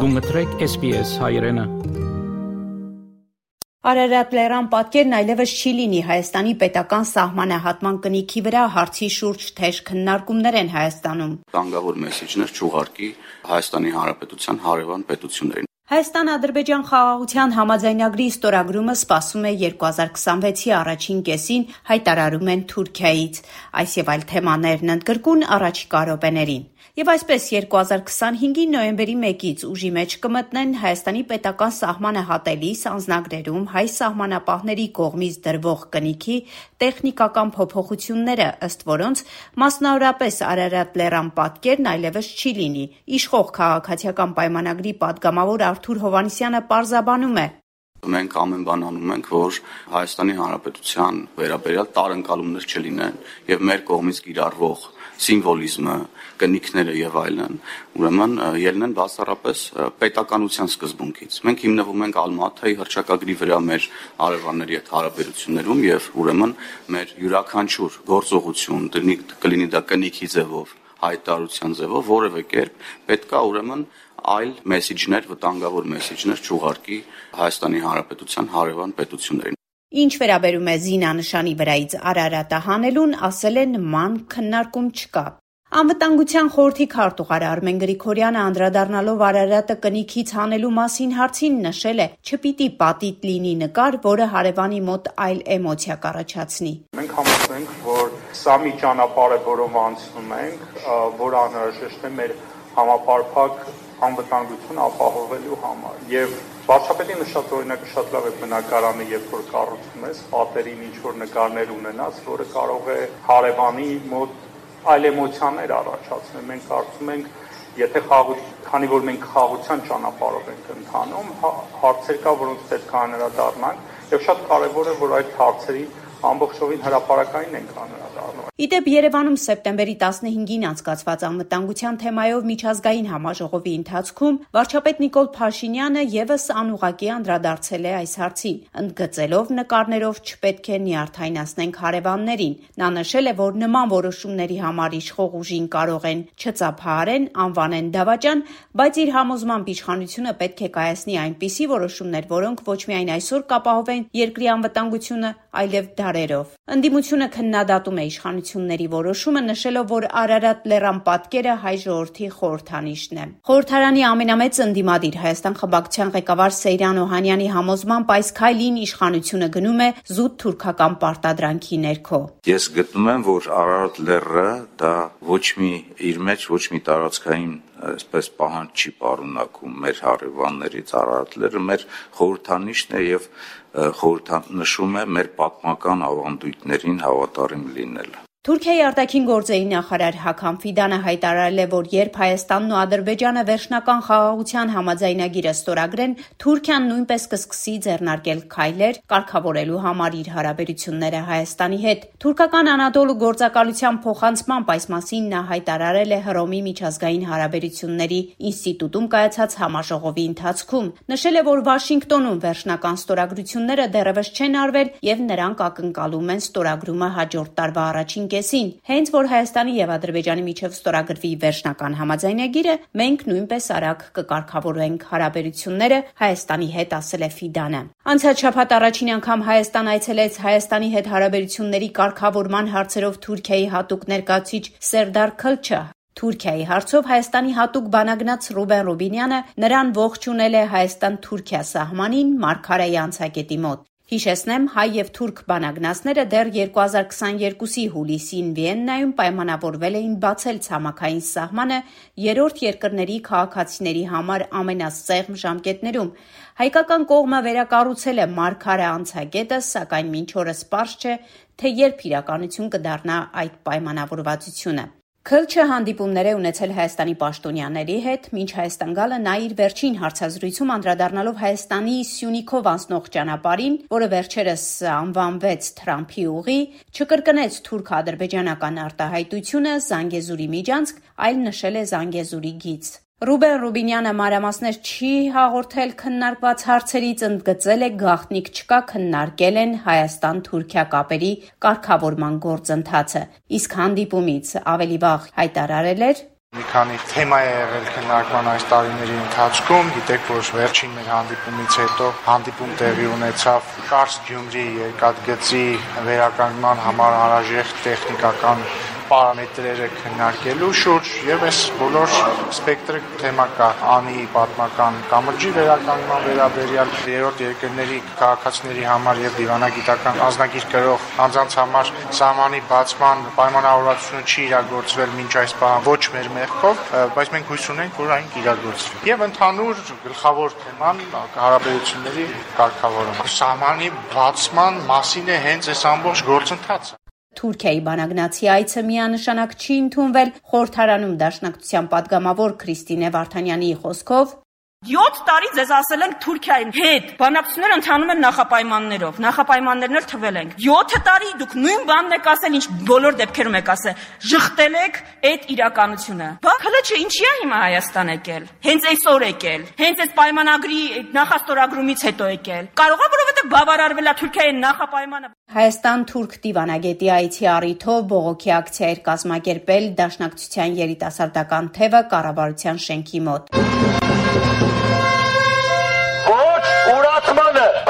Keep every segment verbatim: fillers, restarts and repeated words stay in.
Գումտրեք S B S հայրենը։ Արարատ լեռան պատկերն այլևս չի լինի Հայաստանի պետական սահմանահատման կնիքի վրա հարցի շուրջ թեժ քննարկումներ են Հայաստանում։ Տանգավոր մեսեջներ չուղարկի Հայաստանի Հանրապետության հարևան պետություններին։ Հայաստան-Ադրբեջան խաղաղության համաձայնագրի ստորագրումը սպասում է երկու հազար քսանվեցի առաջին կեսին, հայտարարում են Թուրքիայից։ Այս եւ այլ թեմաներն ընդգրկուն առաջիկա րոպեներին։ Եվ այսպես երկու հազար քսանհինգի նոյեմբերի մեկից ուժի մեջ կմտնեն Հայաստանի պետական սահմանը հատելիս անձնագրերում հայ սահմանապահների կողմից դրվող կնիքի տեխնիկական փոփոխությունները, ըստ որոնց մասնավորապես Արարատ լեռան պատկերն այլևս չի լինի։ Իշխող քաղաքացիական պայմանագրի падգամավոր Արթուր Հովհաննիսյանը պարզաբանում է. Մենք ամեն բան անում ենք, որ Հայաստանի Հանրապետության վերաբերյալ տարընկալումներ չլինեն եւ մեր կողմից կիրառվող սիմվոլիզմը, կնիքները եւ այլն, ուրեմն ելնեն բացառապես պետականության սկզբունքից։ Մենք հիմնվում ենք Ալմաթայի հռչակագրի վրա մեր հարևանների հետ հարաբերություններում եւ ուրեմն մեր յուրաքանչյուր գործողություն, կլինի դա կնիքի ձևով, հայտարարության ձևով, որևէ կերպ պետքա ուրեմն այլ մեսեջներ, վտանգավոր մեսեջներ չուղարկի Հայաստանի Հանրապետության հարևան պետություններին։ Ինչ վերաբերում է զինանշանի վրայից Արարատը հանելուն, ասել է նման քննարկում չկա։ Անվտանգության խորհրդի քարտուղար Արմեն Գրիգորյանը անդրադառնալով Արարատը կնիքից հանելու մասին հարցին նշել է. «Չպիտի պատիտ լինի նկար, որը հարևանի մոտ այլ էմոցիա կառաջացնի»։ Մենք համոզվում ենք, որ սա մի ճանապարհ է, որով անցնում ենք, որը անհրաժեշտ է մեր համապարփակ անվտանգություն ապահովելու համար։ Եվ վարչապետի նշած օրինակը շատ լավ է բնակարանը, երբ որ կառուցում ես, պատերին ինչ որ նկարներ ունենաս, որը կարող է հարևանի մոտ այլ էմոցիաներ առաջացնել։ Մենք կարծում ենք, եթե խաղ, քանի որ մենք խաղաղության ճանապարհով ենք ընթանում, հարցեր կա, որոնց պետք է անդրադառնանք, եւ շատ կարեւոր է, որ այդ հարցերի ամբողջովին հրապարակային ենք անդրադառնում։ Իդեպ Երևանում սեպտեմբերի տասնհինգին անցկացված անվտանգության թեմայով միջազգային համաժողովի ընթացքում վարչապետ Նիկոլ Փաշինյանը եւս անուղղակի անդրադարձել է այս հարցին, ընդգծելով նկարներով չպետք է նյարդայնացնենք հարևաններին։ Նա նշել է, որ նման որոշումների համար իշխող ուժին կարող են չծափահարեն, անվանեն դավաճան, բայց իր համոզմամբ իշխանությունը պետք է կայացնի այնպիսի որոշումներ, որոնք ոչ միայն այսօր կապահովեն երկրի անվտանգությունը, այլև դարերով։ Ընդդիմությունը քննադատում է իշխանությունների որոշումը, նշելով, որ Արարատ լեռան պատկերը հայ ժողովրդի խորհրդանիշն է։ Խորհրդարանի ամենամեծ ընդդիմադիր Հայաստան խմբակցության ղեկավար Սեյրան Օհանյանի համոզմամբ այս քայլին իշխանությունը գնում է զուտ թուրքական պարտադրանքի ներքո։ Ես գտնում եմ, որ Արարատ լեռը դա ոչ մի իր մեջ ոչ մի տարածքային այսպես պահանջ չի պարունակում մեր հարևաններից։ Արարատ լեռը մեր խորհրդանիշն է եւ խորհրդանշում է մեր պատմական ավանդույթներին հավատարիմ լինելը։ Թուրքիայի արտաքին գործերի նախարար Հական Ֆիդանը հայտարարել է, որ երբ Հայաստանն ու Ադրբեջանը վերջնական խաղաղության համաձայնագիրը ստորագրեն, Թուրքիան նույնպես կսկսի ձեռնարկել քայլեր կարգավորելու համար իր հարաբերությունները Հայաստանի հետ։ Թուրքական Անադոլու գործակալության փոխանցմամբ այս մասին նա հայտարարել է Հռոմի միջազգային հարաբերությունների ինստիտուտում կայացած համաժողովի ընթացքում։ Նշել է, որ Վաշինգտոնում վերջնական ստորագրությունները դեռևս չեն արվել եւ նրանք ակնկալում են ստորագրումը հաջորդ տարվա առաջին կեսին։ Հենց որ Հայաստանի եւ Ադրբեջանի միջև ստորագրվի վերջնական համաձայնագիրը, մենք նույնպես արագ կկարգավորենք հարաբերությունները Հայաստանի հետ, ասել է Ֆիդանը։ Անցած շաբաթ առաջին անգամ Հայաստան այցելեց Հայաստանի հետ հարաբերությունների կարգավորման հարցերով Թուրքիայի հատուկ ներկայացուցիչ Սերդար Քլչը։ Թուրքիայի հարցով Հայաստանի հատուկ բանագնաց Ռուբեն Ռուբինյանը նրան ողջունել է Հայաստան-Թուրքիա սահմանին Մարգարեի անցակետի մոտ։ Հիշեցնեմ, հայ եւ թուրք բանագնացները դեռ երկու հազար քսաներկուսի հուլիսին Վիեննայում պայմանավորվել էին բացել ցամաքային սահմանը երրորդ երկրների քաղաքացիների համար ամենասեղմ ժամկետներում։ Հայկական կողմը վերակառուցել է Մարգարե անցակետը, սակայն մինչ օրս պարզ չէ, թե երբ իրականություն կդառնա այդ պայմանավորվածությունը։ Քլչը հանդիպումներ է ունեցել Հայաստանի պաշտոնյաների հետ, մինչ Հայաստան գալը նա իր վերջին հարցազրույցում անդրադառնալով Հայաստանի Սյունիքով անցնող ճանապարհին, որը վերջերս անվանվեց Թրամփի ուղի, չկրկնեց թուրք-ադրբեջանական արտահայտությունը Զանգեզուրի միջանցք, այլ նշել է Զանգեզուրի գիծ։ Ռուբեն Ռուբինյանը մանրամասներ չի հաղորդել քննարկված հարցերից, ընդգծել է գաղտնիք չկա, քննարկել են Հայաստան-Թուրքիա կապերի կարգավորման գործընթացը, իսկ հանդիպումից ավելի վաղ հայտարարել էր. Մի քանի թեմա է եղել քննարկման այս տարիների ընթացքում, գիտեք, որ վերջին մեր հանդիպումից հետո հանդիպում տեղի ունեցավ Կարս Գյումրի երկաթգծի վերականգնման համար անհրաժեշտ տեխնիկական պարամետրերը քննարկելու շուրջ եւ այս բոլոր սպեկտրը թեմա կա անի պատմական կամրջի վերականգնման վերաբերյալ երրորդ երկրների քաղաքացիների համար եւ դիվանագիտական անձնագիր կրող անձանց համար սահմանի բացման պայմանավորվածությունը չի իրագործվել մինչ այս պահ ոչ մեր մեղքով, բայց մենք հույս ունենք, որ այն կիրագործվի։ Եվ ընդհանուր գլխավոր թեման հարաբերությունների կարգավորումը։ Սահմանի բացման մասին է հենց այս ամբողջ գործընթացը։ Թուրքիայի բանագնացի այցը միանշանակ չի ընդունվել։ Խորհրդարանում Դաշնակցության падգամավոր Քրիստինե Վարդանյանի խոսքով յոթ տարի ձեզ ասել ենք Թուրքիայի հետ բանակցությունները ընթանում են նախապայմաններով, նախապայմաններն էլ թվել ենք։ յոթ տարի դուք նույն բանն եք ասել, ինչ բոլոր դեպքերում եք ասել, ժխտել եք այդ իրականությունը։ Բա հələ չէ, ինչի է հիմա Հայաստան եկել։ Հենց այսօր եկել, հենց այս պայմանագրի նախաստորագրումից հետո եկել։ Կարող է որովհետև բավարարվել է Թուրքիայի նախապայմանը։ Հայաստան-Թուրք դիվանագետի այցի առիթով բողոքի ակցիա էր կազմակերպել Դաշնակցության երիտասարդական թևը կառավարության շենքի մոտ։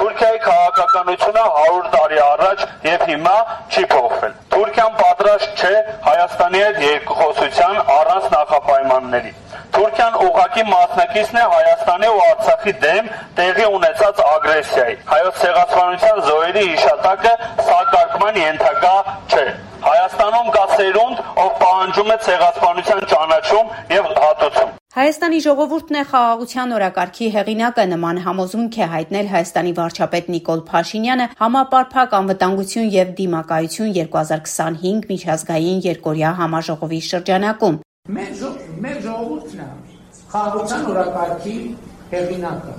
Թուրքիայի քաղաքականությունը հարյուր տարի առաջ եւ հիմա չի փոխվել։ Թուրքիան պատրաստ չէ Հայաստանի հետ երկխոսության առանց նախապայմանների։ Թուրքիան ուղղակի մասնակիցն է Հայաստանի ու Արցախի դեմ տեղի ունեցած ագրեսիայի։ Հայոց ցեղասպանության զոհերի հիշատակը սակարկման ենթակա չէ։ Հայաստանում կա սերունդ, ով պահանջում է ցեղասպանության ճանաչում եւ հատուցում։ Հայաստանի ժողովուրդն է խաղաղության օրակարգի հեղինակը, նման համոզմունք է հայտնել Հայաստանի վարչապետ Նիկոլ Փաշինյանը համապարփակ անվտանգություն եւ դիմակայություն երկու հազար քսանհինգ միջազգային երկօրյա համաժողովի շրջանակում։ Մեր մեր ժողովուրդն է խաղաղության օրակարգի հեղինակը։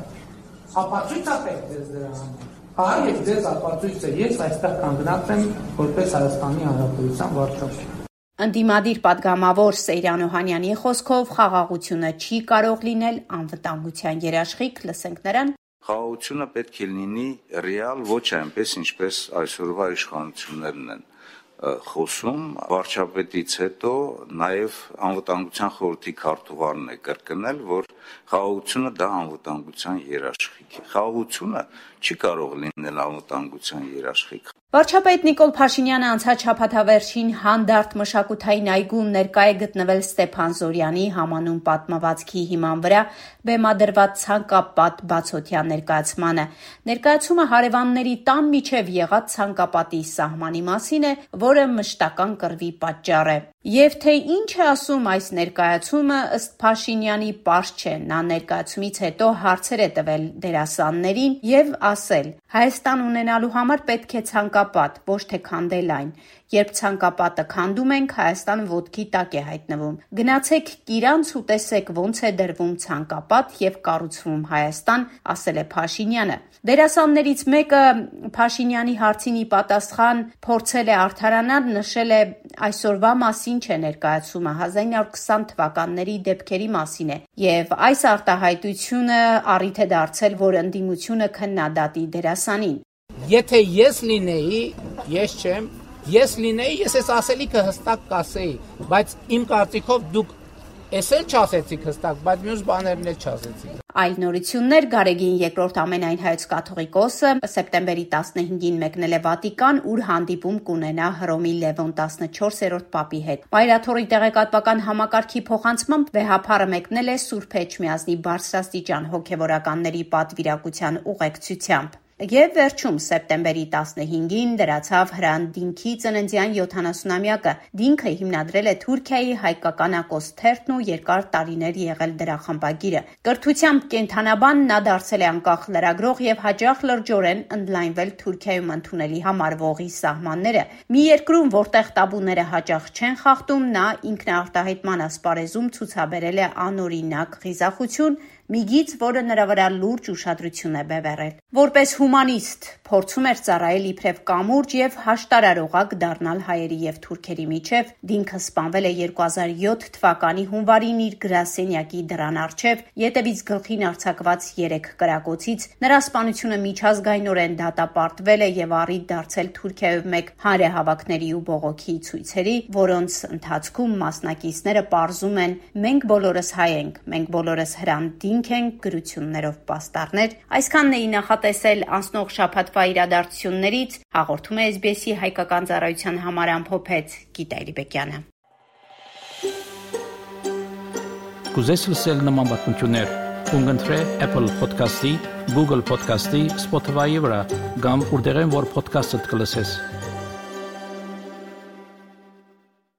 Ապացույց է պետք ձեզ դրա համար։ Ահա եւ ձեզ ապացույցը ես այստեղ կանգնած եմ որպես Հայաստանի Հանրապետության վարչապետ։ Ընդդիմադիր падգամավոր Սեյրան Օհանյանի խոսքով խաղաղությունը չի կարող լինել անվտանգության երաշխիք, լսենք նրան։ Խաղաղությունը պետք է լինի ռեալ, ոչ այնպես, ինչպես այսօրվա իշխանություններն են խոսում։ Վարչապետից հետո նաև անվտանգության խորհրդի քարտուղարն է կրկնել, որ խաղաղությունը դա անվտանգության երաշխիք է։ Խաղաղությունը չի կարող լինել անվտանգության երաշխիք։ Վարչապետ Նիկոլ Փաշինյանը անցած շաբաթավերջին հանդարտ մշակութային այգում ներկա է գտնվել Ստեփան Զորյանի համանուն պատմվածքի հիման վրա բեմադրված ցանկապատ բացօթյա ներկայացմանը։ Ներկայացումը հարևանների տան միջև եղած ցանկապատի սահմանի մասին է, որը մշտական կռվի պատճառ է։ Եվ թե ինչ է ասում այս ներկայացումը, ըստ Փաշինյանի պարզ չէ։ Նա ներկայացումից հետո հարցեր է տվել դերասաններին եւ ասել. Հայաստան ունենալու համար պետք է ցանկապատ, ոչ թե քանդել այն։ Երբ ցանկապատը քանդում ենք, Հայաստանը ոտքի տակ է հայտնվում։ Գնացեք Կիրանց ու տեսեք ոնց է դրվում ցանկապատ եւ կառուցվում Հայաստան, ասել է Փաշինյանը։ Դերասաններից մեկը Փաշինյանի հարցին ի պատասխան փորձել է արդարանալ, նշել է այսօրվա մասին չէ ներկայացումը, հազար ինը հարյուր քսան թվականների դեպքերի մասին է, եւ այս արտահայտությունը առիթ է դարձել, որ ընդդիմությունը քննադատի դերասանին։ Եթե ես լինեի, ես չեմ, ես լինեի, ես այս ասելիքը հստակ կասեի, բայց իմ կարծիքով դուք Ես էլ չասեցիք հստակ, բայց մյուս բաներն էլ չասեցիք։ Այլ նորություններ Գարեգին երկրորդ ամենայն հայոց կաթողիկոսը սեպտեմբերի տասնհինգին մեկնել է Վատիկան, ուր հանդիպում կունենա Հռոմի Լևոն տասնչորսերորդ պապի հետ։ Մայրաթորի տեղեկատվական համակարգի փոխանցմամբ վեհափառը մեկնել է Սուրբ Էջմիածնի բարձրաստիճան հոգևորականների պատվիրակության ուղեկցությամբ։ Եվ վերջում սեպտեմբերի տասնհինգին դրացավ Հրանդինքի ծննդյան յոթանասունամյակը։ Դինքը հիմնադրել է Թուրքիայի հայկական ակոս թերթն ու երկար տարիներ եղել դրա խմբագիրը։ Կրթությամբ կենթանաբան նա դարձել է անկախ լրագրող եւ հաճախ լրջորեն ընդլայնվել Թուրքիայում ընդունելի համարվողի սահմանները։ Մի երկրում, որտեղ տաբուները հաճախ չեն խախտում, նա ինքնարտահայտման ասպարեզում ցուցաբերել է անօրինակ խիզախություն, մի գիծ, որը նրա վրա լուրջ ուշադրություն է բևեռել։ Որպես հումանիստ, փորձում էր ծառայել իբրև կամուրջ եւ հաշտարարողակ դառնալ հայերի եւ թուրքերի միջև, դինքը սպանվել է երկու հազար յոթ թվականի հունվարին իր գրասենյակի դռան առջև, ետևից գլխին արձակված երեք կրակոցից, նրա սպանությունը միջազգայնորեն դատապարտվել է եւ առիթ դարձել Թուրքիայով մեկ հանրահավաքների ու բողոքի ցույցերի, որոնց ընթացքում մասնակիցները պարզում են «Մենք բոլորս հայ ենք, մենք բոլորս հրանդինք ենք» գրություններով պաստառներ։ Այսքանն էի նախատեսել անցնող շաբաթվա իրադարձություններից, հաղորդում է Ես Բի Էսի հայկական ծառայության համար ամփոփեց Գիտա Իրիբեկյանը։ Կուզես լսել նման բանություններ, կընտրե Apple Podcast-ի, Google Podcast-ի, Spotify-ի վրա, կամ որտեղեն որ podcast-ը կլսես։